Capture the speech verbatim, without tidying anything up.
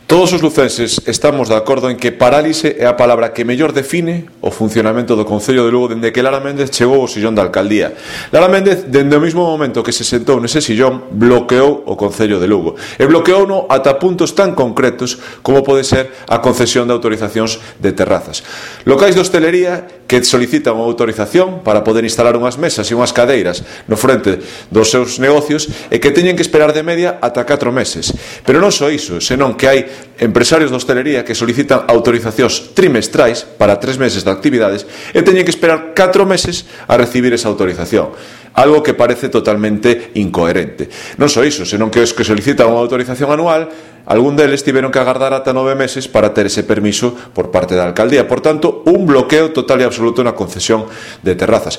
Todos os lucenses estamos de acordo en que parálise é a palabra que mellor define o funcionamento do Concello de Lugo dende que Lara Méndez chegou ao sillón da alcaldía. Lara Méndez, dende o mesmo momento que se sentou nese sillón, bloqueou o Concello de Lugo. E bloqueouno ata puntos tan concretos como pode ser a concesión de autorizacións de terrazas. Locais de hostelería que solicitan unha autorización para poder instalar unhas mesas e unhas cadeiras no frente dos seus negocios e que teñen que esperar de media ata catro meses. Pero non só iso, senón que hai empresarios de hostelería que solicitan autorizacións trimestrais para tres meses de actividades e teñen que esperar catro meses a recibir esa autorización. Algo que parece totalmente incoherente. Non só iso, senón que os que solicitan unha autorización anual, algún deles tiveron que agardar ata nove meses para ter ese permiso por parte da alcaldía. Por tanto, un bloqueo total e absoluto na concesión de terrazas.